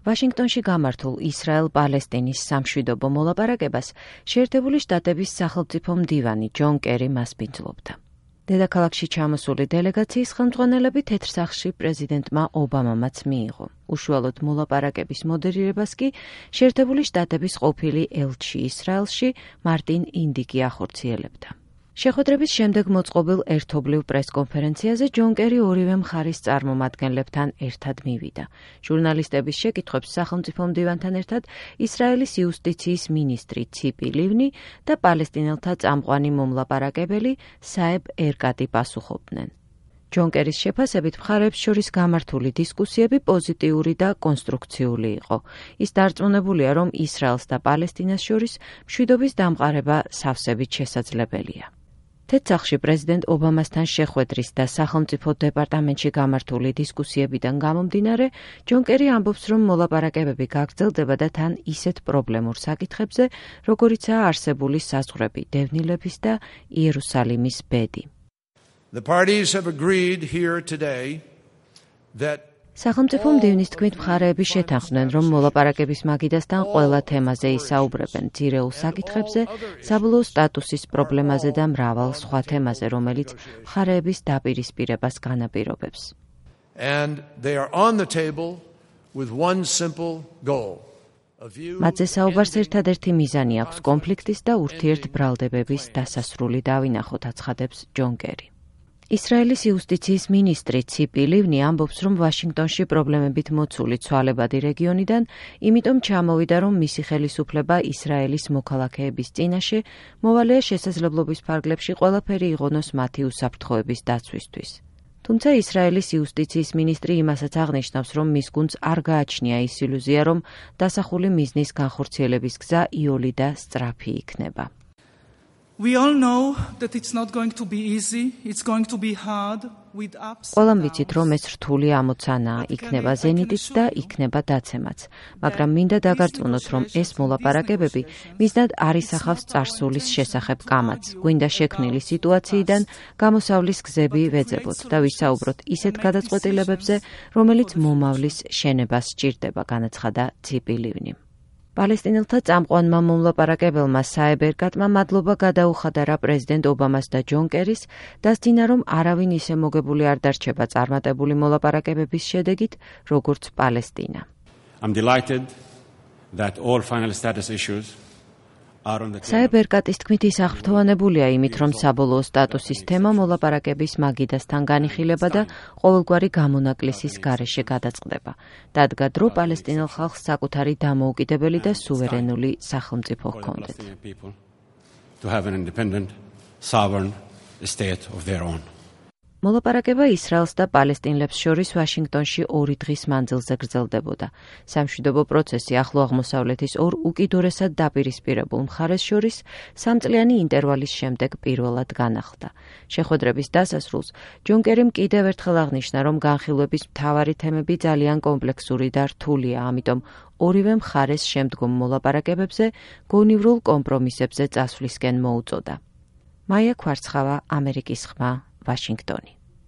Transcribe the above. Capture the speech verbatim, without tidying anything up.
ვაშინგტონში გამართულ ისრაელ-პალესტინის სამშვიდობო მოლაპარაკებას შეერთებული შტატების სახელმწიფო მდივანი ჯონ კერი მასპინძლობდა. დედაქალაქში ჩამოსული დელეგაციის ხელმძღვანელები თეთრ სახლში პრეზიდენტმა ობამამაც მიიღო. უშუალოდ მოლაპარაკების მოდერირებას კი შეერთებული შტატების ყოფილი ელჩი ისრაელში მარტინ ინდიკი ახორციელებდა. შეხვედრების შემდეგ მოწყობილ ერთობლივ პრესკონფერენციაზე ჯონ კერი ორივე მხარის წარმომადგენლებთან ერთად მივიდა. ჟურნალისტების შეკითხვებს სახელმწიფო მდივანთან ერთად ისრაელის იუსტიციის მინისტრი ციპი ლივნი და პალესტინელთა წამყვანი მომლაპარაკებელი საებ ერკატი პასუხობდნენ. ჯონ კერის შეფასებით მხარეებს შორის გამართული დისკუსიები პოზიტიური და კონსტრუქციული იყო. ის დარწმუნებულია, რომ ისრაელს და პალესტინას შორის მშვიდობის დამყარება სავსებით შესაძლებელია. თეთრ-სახლში პრეზიდენტ ობამასთან შეხვედრის და სახელმწიფო დეპარტამენტში გამართული დისკუსიებიდან გამომდინარე, ჯონ კერი ამბობს, რომ მოლაპარაკებები გაგრძელდება და თან ისეთ პრობლემურ საკითხებზე, როგორიცაა არსებული საზღვრები, დევნილების და იერუსალიმის ბედი. The parties have agreed here today that სახელმწიფო მდივნის თქმით მხარეები შეთანხმდნენ, რომ მოლაპარაკების მაგიდასთან ყველა თემაზე ისაუბრებენ, ძირეულ საკითხებზე, საბოლოო სტატუსის პრობლემაზე და მრავალ სხვა თემაზე, რომელიც მხარეების დაპირისპირებას განაპირობებს. And they are on the table with one simple goal. მათზე საუბარს ერთადერთი მიზანი აქვს კონფლიქტის და ურთიერთბრალდებების დასასრული დავინახოთ, აცხადებს ჯონ კერი. ისრაელის იუსტიციის მინისტრი ციპი ლივნი ამბობს, რომ ვაშინგტონში პრობლემებით მოცული ცვალებადი რეგიონიდან, იმიტომ ჩამოვიდა, რომ მისი ხელისუფლება ისრაელის მოქალაქეების წინაშე მოვალეა შესაძლებლობის ფარგლებში ყველაფერი იღონოს მათი უსაფრთხოების დაცვისთვის. თუმცა ისრაელის იუსტიციის მინისტრი იმასაც აღნიშნავს, რომ მის გუნდს არ გააჩნია ის ილუზია, რომ დასახული მიზნის განხორციელების გზა იოლი და სწრაფი იქნება. We all know that it's not going to be easy. It's going to be hard with ups. ყველამ ვიცით, რომ ეს რთული ამოცანაა, იქნება ზენიტიც და იქნება დაცემაც. მაგრამ მინდა დაგარწმუნოთ, რომ ეს მოლაპარაკებები მიზნად არ ისახავს წარსულის შესახებ კამათს. გვინდა შექმნილი სიტუაციიდან გამოსავლის გზები ვეძებოთ და ვისაუბროთ ისეთ გადაწყვეტილებებზე, რომელიც მომავლის შენებას სჭირდება, განაცხადა ციპი ლივნი. პალესტინელთა წამყვანმა მომლაპარაკებელმა საებ ერკატმა მადლობა გადაუხადა რა პრეზიდენტ ობამას და ჯონ კერის, დასძინა, რომ არავინ ისე მოგებული არ დარჩება წარმატებული მოლაპარაკებების შედეგით, როგორც პალესტინა. I'm delighted that all final status issues საებ ერკატის თქმით ის აღფრთოვანებულია იმით, რომ საბოლოო სტატუსის თემა მოლაპარაკების მაგიდასთან განიხილება და ყოველგვარი გამონაკლისის გარეშე გადაწყდება. დადგა დრო პალესტინელ ხალხს საკუთარი დამოუკიდებელი და სუვერენული სახელმწიფო ჰქონდეთ. to have an independent, sovereign state of their own. მოლაპარაკება ისრაელს და პალესტინელებს შორის ვაშინგტონში ორი დღის მანძილზე გრძელდებოდა. სამშვიდობო პროცესი ახლო აღმოსავლეთის ორ უკიდურესად დაპირისპირებულ მხარეს შორის სამწლიანი ინტერვალის შემდეგ პირველად განახლდა. შეხვედრების დასასრულს ჯონ კერიმ კიდევ ერთხელ აღნიშნა, რომ განხილვების მთავარი თემები ძალიან კომპლექსური და რთულია, ამიტომ ორივე მხარეს შემდგომ მოლაპარაკებებზე გონივრულ კომპრომისებზე წასვლისკენ მოუწოდა. მაია ქვარცხავა, ამერიკის ხმა, ვაშინგტონი.